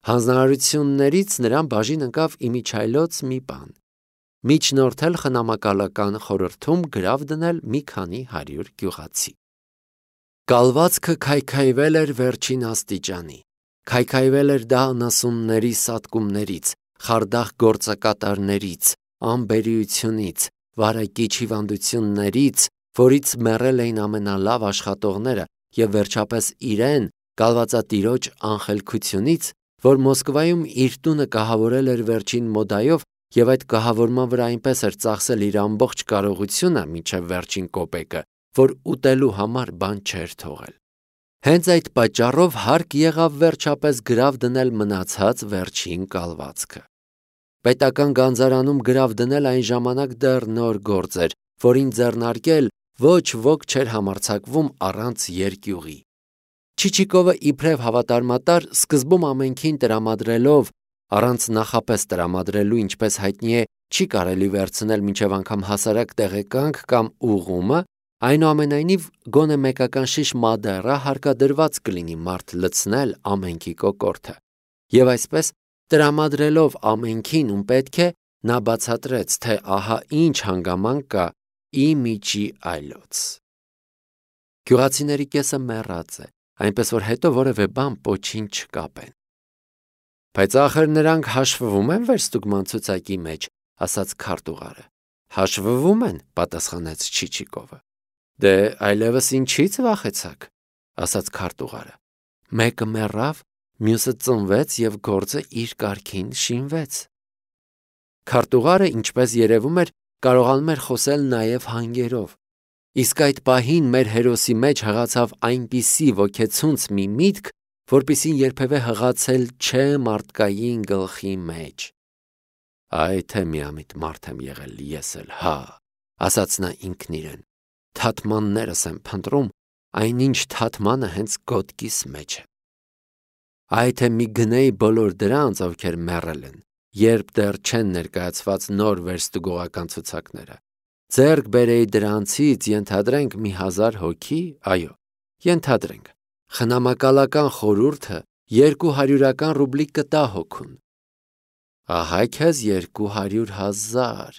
Հանձնարարություններից նրան բաժին ընկավ իմիջայլոց մի բան. միջնորդել խնամակալական խորհրդում գրավ դնել մի քանի 100 գյուղացի։ Կալվածքը քայքայվել էր վերջին աստիճանի, քայքայվել էր դա անասունների սատկումներից, խարդախ գործակատարներից, անբերիությունից, վարակիչ հիվանդություններից, որից մեռել էին ամենալավ աշխատողները, և վերջապես իրեն, կալվածատիրոջ անխելքությունից, որ Մոսկվայում իր տունը կահավորել էր վերջին մոդայով և այդ կահավորման վրա այնպես էր ծախսել իր ամբողջ կարողությունը մինչև վերջին կոպեկը, որ ուտելու համար բան չէր թողել։ Հենց այդ պատճառով հարկ եղավ վերջապես գրավ դնել մնացած վերջին կալվածքը։ Պետական գանձարանում գրավ դնել այն ժամանակ դեռ նոր գործ էր, որին ձեռնարկել ոչ ոք չէր համարձակվում առանց երկյուղի։ Չիչիկովը իբրև հավատարմատար սկզբում ամենքին տրամադրելով, առանց նախապես տրամադրելու, ինչպես հայտնի է, չի կարելի վերցնել մինչև անգամ հասարակ տեղեկանք կամ ուղումը, այնուամենայնիվ գոնե մեկական շիշ մադեռա հարկադրված կլինի մարդ լցնել ամենքի կոկորդը։ Եվ այսպես տրամադրելով ամենքին ում պետք է, նա բացատրեց, թե ահա ինչ հանգամանք կա իմիջի այլոց։ Գյուղացիների կեսը մեռած է, այնպես որ հետո որևէ բան պոչին չկապեն։ Բայց ախր նրանք հաշվվում են վերստուգման ցուցակի մեջ, ասաց քարտուղարը։ Հաշվվում են, պատասխանեց Չիչիկովը։ Դե այլևս ինչից վախեցաք, ասաց քարտուղարը։ Մեկը մեռավ, մյուսը ծնվեց և գործը իր կարգին շինվեց։ Քարտուղարը, ինչպես երևում էր, կարողանում էր խոսել նաև հանգերով։ Իսկ այդ պահին մեր հերոսի մեջ հղացավ այնպիսի ոգեցունց մի միտք, որպիսին երբևէ հղացել չէ մարդկային գլխի մեջ։ Այ թե միամիտ մարդ եմ եղել ես էլ, հա, ասաց նա ինքն իրեն։ Թաթմաններս եմ փնտրում, այնինչ թաթմանը հենց գոտկիս մեջ է։ Այ թե մի գնեի բոլոր դրանց, ովքեր մեռել են, երբ դեռ չեն ներկայացված նոր վերստուգողական ցուցակները։ Ձեռք բերեի դրանցից, ենթադրենք, մի 1000 հոգի, այո, ենթադրենք, խնամակալական խորհուրդը 200 ռուբլի կտա հոգուն։ Ահա քեզ 200,000։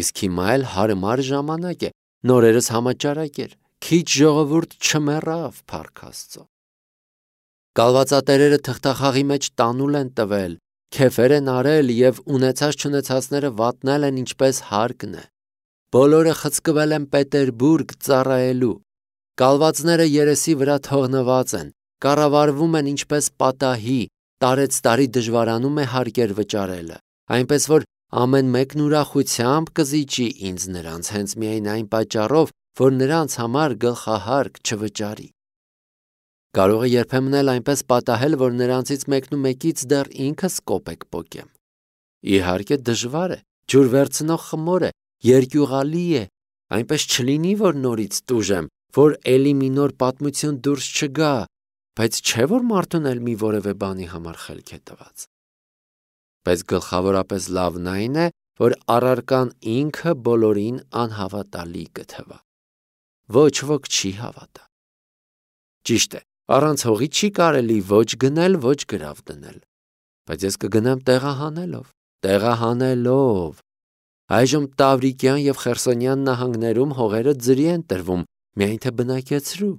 Իսկ հիմա էլ հարմար ժամանակ է, նորերս համաճարակ էր, քիչ ժողովուրդ չմեռավ, փառք Աստծո։ Կալվածատերերը թղթախաղի մեջ տանուլ են տվել, քեֆեր են արել և ունեցած-չունեցածները վատնել են ինչպես հարկն է։ Բոլորը խցկվել են Պետերբուրգ ծառայելու։ Կալվածները երեսի վրա թողնված են, կառավարվում են ինչպես պատահի, տարեցտարի դժվարանում է հարկեր վճարելը, այնպես որ ամեն մեկն ուրախությամբ կզիջի ինձ նրանց հենց միայն այն պատճառով, որ նրանց համար գլխահարկ չվճարի։ Կարող է երբեմն էլ այնպես պատահել, որ նրանցից մեկնումեկից դեռ ինքս կոպեկ պոկեմ։ Իհարկե դժվար է, ջուր վերցնող խմոր է, երկյուղալի է, այնպես չլինի, որ նորից տուժեմ, որ էլի մի նոր պատմություն դուրս չգա, բայց չէ որ մարդուն էլ մի որևէ բանի համար խելք է տված։ Բայց գլխավորապես լավն այն է, որ առարկան ինքը բոլորին անհավատալի կթվա։ Ոչ ոք չի հավատա։ Ճիշտ է, առանց հողի չի կարելի ոչ գնել, ոչ գրավ դնել։ Բայց ես կգնամ տեղահանելով։ Այժմ Տավրիկյան և Խերսոնյան նահանգներում հողերը ձրի են տրվում, միայն թե բնակեցրու։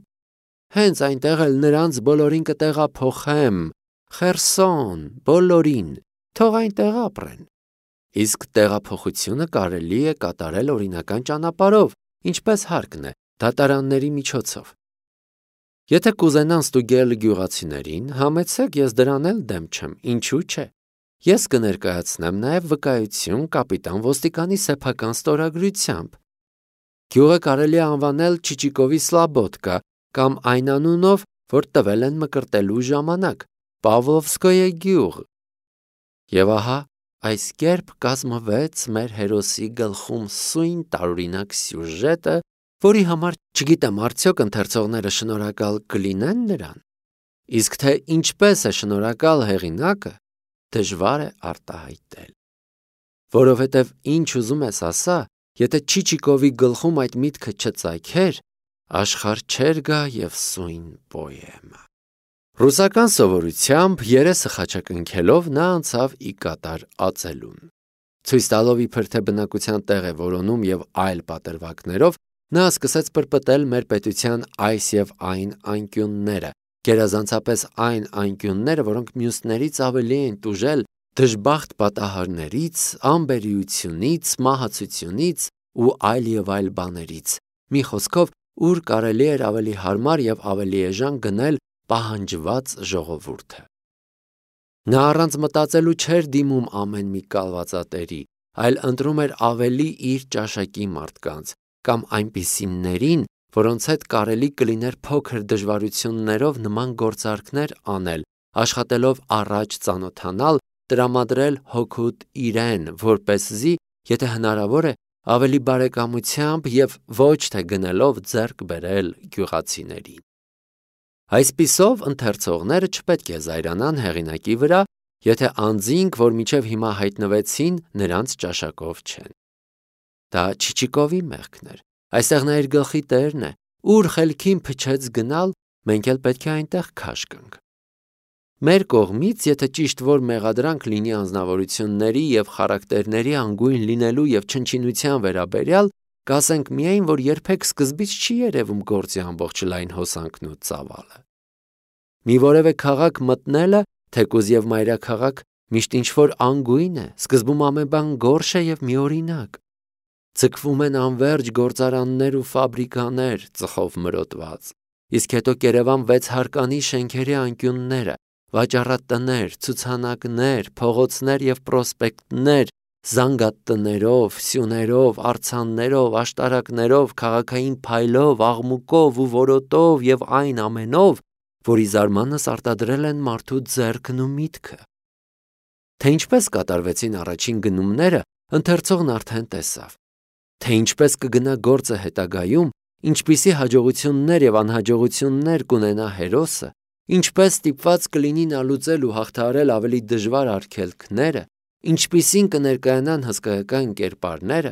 Հենց այնտեղ էլ նրանց բոլորին կտեղափոխեմ, Խերսոն, բոլորին, թող այնտեղ ապրեն։ Իսկ տեղափոխությունը կարելի է կատարել օրինական ճանապարհով, ինչպես հարկն է, դատարանների միջոցով։ Եթե կուզենան ստուգել գյուղացիներին, համեցեք, ես դրան էլ դեմ չեմ, ինչու՞ չէ։ Ես կներկայացնեմ նաև վկայություն կապիտան ոստիկանի սեփական ստորագրությամբ։ Գյուղը կարելի է անվանել Չիչիկովի Սլաբոդկա կամ այն անունով, որ տվել են մկրտելու ժամանակ, Պավլովսկոյե գյուղ։ Եվ ահա այս կերպ կազմվեց մեր հերոսի գլխում սույն տարօրինակ սյուժետը, որի համար չգիտեմ արդյոք ընթերցողները շնորհակալ կլինեն նրան, իսկ թե ինչպես է շնորհակալ հեղինակը, դժվար է արտահայտել։ Որովհետև ինչ ուզում ես ասա, եթե Չիչիկովի գլխում այդ միտքը չծագեր, աշխարհ չէր գա և սույն պոեմը։ Ռուսական սովորությամբ երեսը խաչակնքելով նա անցավ ի կատար ածելուն։ Ցույց տալով իբր թե բնակության տեղ է որոնում եւ այլ պատրվակներով, նա սկսեց պրպտել մեր պետության այս եւ այն անկյունները, գերազանցապես այն անկյունները, որոնք մյուսներից ավելի են տուժել դժբախտ պատահարներից, անբերիությունից, մահացությունից ու այլ բաներից։ Մի խոսքով, ուր կարելի էր ավելի հարմար եւ ավելի էժան գնել պահանջված ժողովուրդը։ Նա առանց մտածելու չէր դիմում ամեն մի կալվածատերի, այլ ընտրում էր ավելի իր ճաշակի մարդկանց կամ այնպիսիներին, որոնց հետ կարելի կլիներ փոքր դժվարություններով նման գործարքներ անել, աշխատելով առաջ ծանոթանալ, տրամադրել հօգուտ իրեն, որպեսզի, եթե հնարավոր է, ավելի բարեկամությամբ եւ ոչ թե գնելով ձեռք բերել գյուղացիներին։ Այսպիսով ընթերցողները չպետք է զայրանան հեղինակի վրա, եթե անձինք, որ մինչև հիմա հայտնվեցին, նրանց ճաշակով չեն։ Դա Չիչիկովի մեղքն էր։ Այստեղ նա իր գլխի տերն է, ուր խելքին փչեց գնալ, մենք էլ պետք է այնտեղ քաշ գանք։ Մեր կողմից, եթե ճիշտ որ մեղադրանք լինի անձնավորությունների եւ խարակտերների անգույն լինելու եւ չնչինության վերաբերյալ, կասենք միայն, որ երբեք սկզբից չի երևում գործի ամբողջ լայն հոսանքն ու ծավալը։ Մի որևէ քաղաք մտնելը, թեկուզ եւ մայրաքաղաք, միշտ ինչ-որ անգույն է, սկզբում ամեն բան գորշ է եւ միօրինակ։ Ձգվում են անվերջ գործարաններ ու ֆաբրիկաներ, ծխով մրոտված, իսկ հետո կերևան 6 հարկանի շենքերի անկյունները, վաճառատներ, ցուցանակներ, փողոցներ եւ պրոսպեկտներ, զանգատներով, սյուներով, արձաններով, աշտարակներով, քաղաքային փայլով, աղմուկով ու որոտով եւ այն ամենով, որի զարմանս արտադրել են մարդու ձեռքն ու միտքը։ Թե ինչպես կատարվեցին առաջին գնումները, ընթերցողն արդեն տեսավ։ Թե ինչպես կգնա գործը հետագայում, ինչպիսի հաջողություններ եւ անհաջողություններ կունենա հերոսը, ինչպես ստիպված կլինի նա լուծել ու հաղթահարել ավելի դժվար արգելքները, ինչպիսին կներկայանան հսկայական կերպարները,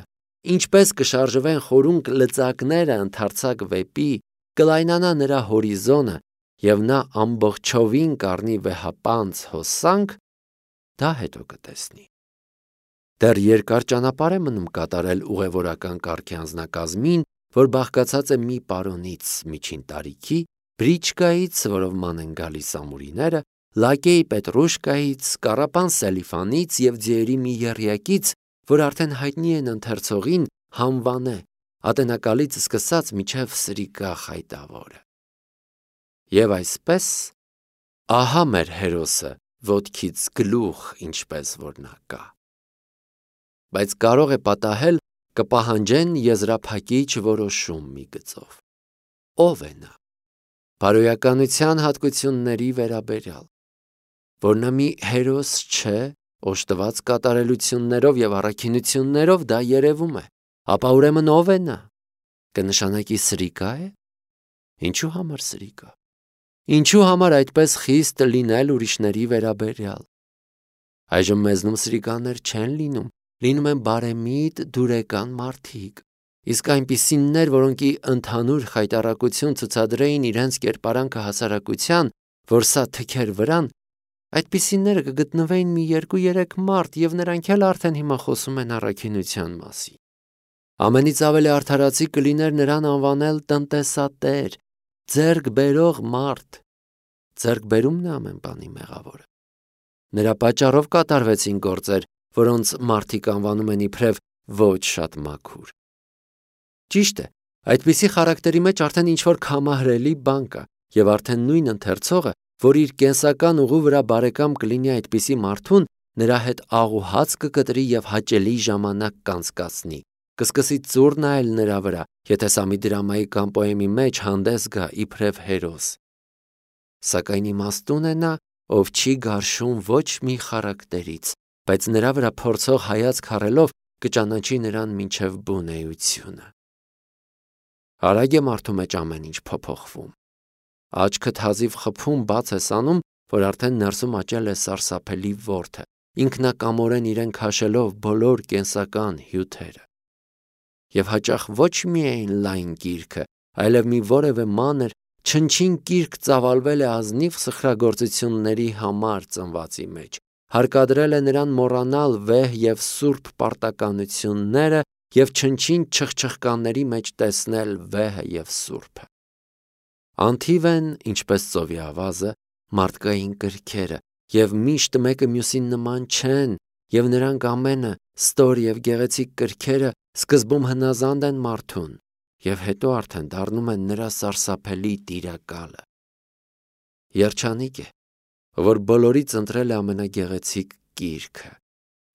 ինչպես կշարժվեն խորունկ լծակները ընդարձակ վեպի, կլայնանա նրա հորիզոնը եւ նա ամբողջովին կառնի վեհապանծ հոսանք, դա հետո կտեսնի։ Դեռ երկար ճանապարհ է մնում կատարել ուղևորական կարգի անձնակազմին, որ բաղկացած է մի պարոնից միջին տարիքի, բրիչկայից, որով ման են գալիս ամուրիները, լակեի պետրուշկայից, կառապան սելիֆանից եւ ձիերի մի եռյակից, որ արդեն հայտնի են ընթերցողին, հանվանե, ատենակալից սկսած միջև սրիկա խայտավորը։ Եվ այսպես, ահա մեր հերոսը ոտքից գլուխ, ինչպես որ նա կա։ Բայց կարող է պատահել կպահանջեն եզրափակիչ որոշում մի գծով։ Ո՞վ է նա։ Բարոյականության հատկությունների վերաբերյալ, որ նա մի հերոս չէ, օժտված կատարելություններով եւ առաքինություններով դա երևում է, ապա ուրեմն ով է նա։ Կնշանակի սրիկա է։ Ինչու համար սրիկա։ Ինչու համար այդպես խիստ լինել ուրիշների վերաբերյալ։ Այժմ մեզնում սրիկաներ չեն լինում, լինում են բարեմիտ դուրեկան մարդիկ, իսկ այնպիսիններ, որոնք ընդհանուր խայտառակություն ցուցադրեին իրենց կերպարանքը հասարակության, որ սա թքեր վրան, այդպիսինները կգտնվեին մի 2-3 մարդ եւ նրանք էլ արդեն հիմա խոսում են առաքինության մասին։ Ամենից ավելի արդարացի կլիներ նրան անվանել տնտեսատեր, ձեռք բերող մարդ։ Ձեռք բերումն է ամեն բանի մեղավորը։ Նրա պատճառով կատարվեցին գործեր, որոնց մարդիկ անվանում են իբրև ոչ շատ մաքուր։ Ճիշտ է, այդպիսի խարակտերի մեջ արդեն ինչ-որ քամահրելի բան կա, եւ արդեն նույն ընթերցողը, որ իր կենսական ուղու վրա բարեկամ կլինի այդպիսի մարդուն, նրա հետ աղ ու հաց կկտրի եւ հաճելի ժամանակ կանցկացնի, կսկսի ծուռ նայել նրա վրա, եթե սա մի դրամայի կամ պոեմի մեջ հանդես գա իբրև հերոս։ Սակայն իմաստուն է նա, ով չի գարշում ոչ մի խարակտերից, բայց նրա վրա փորձող հայացք հառելով կճանաչի նրան մինչև բունեությունը։ Արագ է մարդու մեջ ամեն ինչ փոփոխվում։ Աչքդ հազիվ խփում բաց ես անում, որ արդեն ներսում աճել է սարսափելի որդը, ինքնակամորեն իրեն քաշելով բոլոր կենսական հյութերը։ Եվ հաճախ ոչ միայն լայն գիրքը, այլև մի որևէ մանր, Չնչին գիրք ծավալվել է ազնիվ սխրագործությունների համար ծնվածի մեջ, հարկադրել է նրան մոռանալ վեհ և սուրբ պարտականությունները և չնչին չխչխկանների մեջ տեսնել վեհը և սուրբը։ Անթիվ են, ինչպես ծովի ավազը, մարդկային կրքերը, և միշտ մեկը մյուսին նման չեն, և նրանք ամենը, ստոր և գեղեցիկ կրքերը, սկզբում հնազանդ են մարդուն, և հետո արդեն դառնում են նրա սարսափելի տիրակալը։ Երջանիկ է, որ բոլորից ընտրել է ամենագեղեցիկ գիրքը,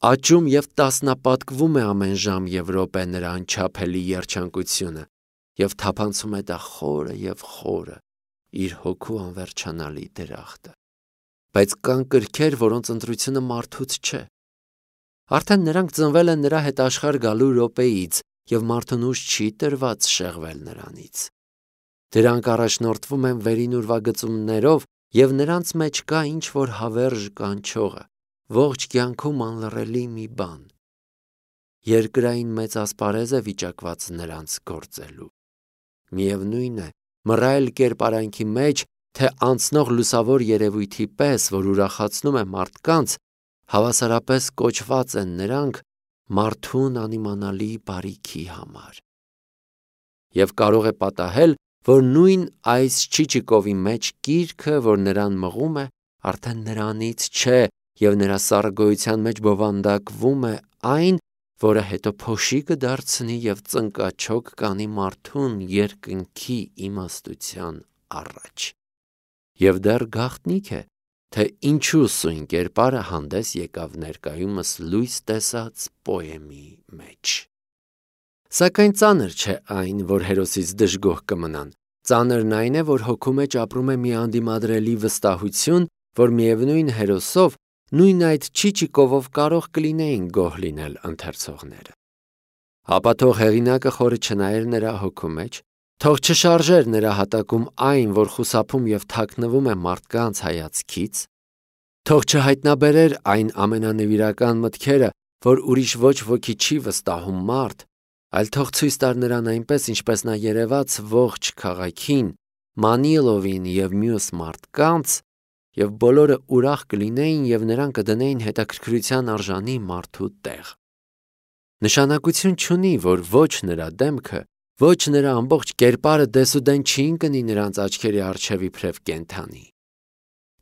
աճում և տասնապատկվում է ամեն ժամ և րոպե նրա անչափելի երջանկությունը և թափանցում է դա խորը և խորը, իր հոգու անվերջանալի դրախտը։ Բայց կան կրքեր, որոնց ընտրությունը մարդուց չէ։ Արդեն նրանք ծնվել են նրա հետ աշխարհ գալու րոպեից, և մարդուն ուժ չի տրված շեղվել նրանից։ Դրանք առաջնորդվում են վերին ուրվագծումներով, և նրանց մեջ կա ինչ-որ հավերժ կանչողը, ողջ կյանքում անլռելի մի բան։ Երկրային մեծ ասպարեզ է վիճակված նրանց գործելու։ Միևնույն է, մռայլ կերպարանքի մեջ, թե անցնող լուսավոր երևույթի պես, որ ուրախացնում է մարդկանց, հավասարապես կոչված են նրանք մարդուն անիմանալի բարիքի համար։ Եվ կարող է պատահել, որ նույն այս Չիչիկովի մեջ գիրքը, որ նրան մղում է, արդեն նրանից չէ, և նրա սառը գոյության մեջ բովանդակվում է այն, որը հետո փոշի կդարձնի և ծնկաչոք կանի մարդուն երկնքի իմաստության առաջ։ Եվ դեռ գաղտնիք է, թե ինչու սույն կերպարը հանդես եկավ ներկայումս լույս տեսած պոեմի մեջ։ Սակայն ծանր չէ այն, որ հերոսից դժգոհ կմնան։ Ծանրն այն է, որ հոգու մեջ ապրում է մի անդիմադրելի վստահություն, որ միևնույն հերոսով, նույն այդ Չիչիկովով կարող կլինեին գոհ լինել ընթերցողները։ Ապա թող հեղինակը խորը չնայեր նրա հոգու մեջ, թող չշարժեր նրա հատակում այն, որ խուսափում և թաքնվում է մարդկանց հայացքից, թող չհայտնաբերեր այն ամենանվիրական մտքերը, որ ուրիշ ոչ ոքի չի վստահում մարդ, այլ թող ցույց տար նրան այնպես, ինչպես նա երևաց ողջ քաղաքին, Մանիլովին և մյուս մարդկանց, և բոլորը ուրախ կլինեին և նրան կդնեին հետաքրքրության արժանի մարդու տեղ։ Նշանակություն չունի, որ ոչ նրա դեմքը, ոչ նրա ամբողջ կերպարը դեսուդեն չի ընկնի նրանց աչքերի առջև իբրև կենդանի։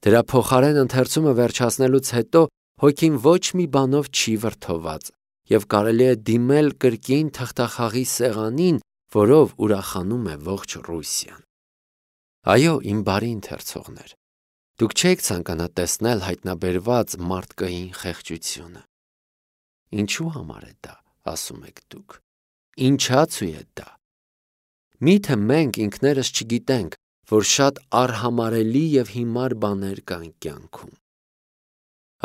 Դրա փոխարեն ընթերցումը վերջացնելուց հետո հոգին ոչ մի բանով չի վրդոված, և կարելի է դիմել կրկին թղթախաղի սեղանին, որով ուրախանում է ողջ Ռուսիան։ Այո, իմ բարի ընթերցողներ, դուք չեք ցանկանա տեսնել հայտնաբերված մարդկային խեղճությունը։ Ինչու համար է դա, ասում եք դուք։ Ինչացու է դա։ Միթե մենք ինքներս չգիտենք, որ շատ արհամարհելի և հիմար բաներ կան կյանքում։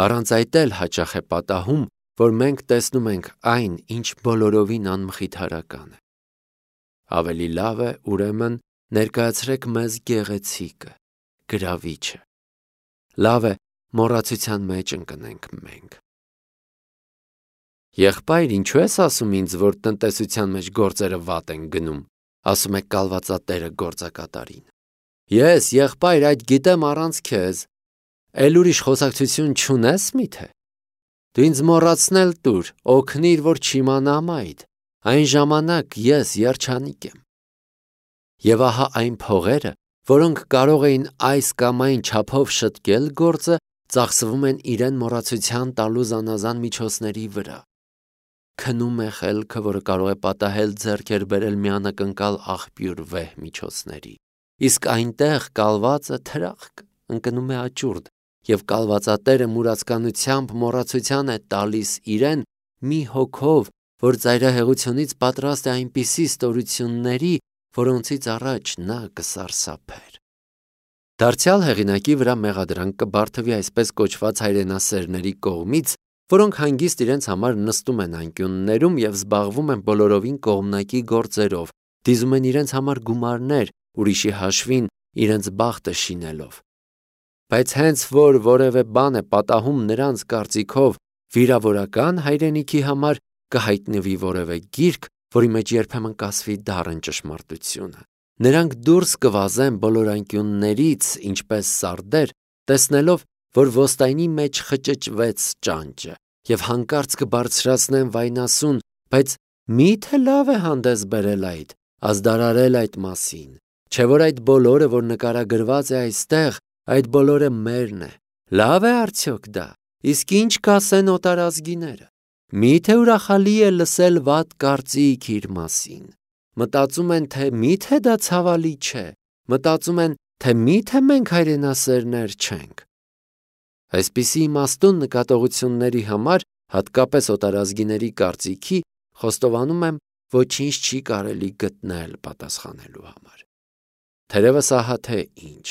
Առանց այդ էլ հաճախ է պատահում, որ մենք տեսնում ենք այն, ինչ բոլորովին անմխիթարական է։ Ավելի լավ է, ուրեմն, ներկայացրեք մեզ գեղեցիկը, գրավիչը։ Լավ է, մոռացության մեջ ընկնենք մենք։ Եղբայր, ինչու ես ասում ինձ, որ տնտեսության մեջ գործերը վատ են գնում, ասում է կալվածատերը գործակատարին։ Ես, եղբայր, այդ գիտեմ առանց քեզ։ Էլ ուրիշ խոսակցություն չունես միթե։ Դու ինձ մոռացնել տուր, օգնիր, որ չիմանամ այդ։ Այն ժամանակ ես երջանիկ եմ։ Եվ ահա այն փողերը, որոնք կարող էին այս կամ այն չափով շտկել գործը, ծախսվում են իրեն մոռացության տալու զանազան միջոցների վրա։ Քնում է խելքը, որը կարող է պատահել ձեռքեր բերել մի անակնկալ աղբյուր վեհ միջոցների։ Իսկ այնտեղ կալվածը թրախկ ընկնում է աճուրդ, և կալվածատերը մուրացկանությամբ մոռացության է տալիս իրեն մի հոգով, որ ծայրահեղությունից պատրաստ է այնպիսի ստորությունների, որոնցից առաջ նա կսարսափեր։ Դարձյալ հեղինակի վրա մեղադրանք կբարդվի այսպես կոչված հայրենասերների կողմից, որոնք հանգիստ իրենց համար նստում են անկյուններում և զբաղվում են բոլորովին կողմնակի գործերով, դիզում են իրենց համար գումարներ, ուրիշի հաշվին իրենց բախտը շինելով։ Բայց հենց որ որևէ բան է պատահում նրանց կարծիքով վիրավորական հայրենիքի համար, կհայտնվի որևէ գիրք, որի մեջ երբեմն կասվի դառն ճշմարտությունը։ Նրանք դուրս կվազեն բոլոր անկյուններից, ինչպես սարդեր, տեսնելով, որ ոստայնի մեջ խճճվեց ճանճը, և հանկարծ կբարձրացնեն վայնասուն, բայց մի՞թե լավ է հանդես բերել այդ, ազդարարել այդ մասին, չէ՞ որ այդ բոլորը, որ նկարագրված է այստեղ, այդ բոլորը մերն է, լավ է արդյոք դա, իսկ ինչ կասեն օտարազգիները, մի՞թե ուրախալի է լսել վատ կարծիք իր մասին, մտածում են, թե մի՞թե դա ցավալի չէ, մտածում են, թե մի՞թե մենք հայրենասերներ չենք։ Այսպիսի իմաստուն նկատողությունների համար, հատկապես օտարազգիների կարծիքի, խոստովանում եմ, ոչինչ չի կարելի գտնել պատասխանելու համար։ Թերևս ահա թե ինչ,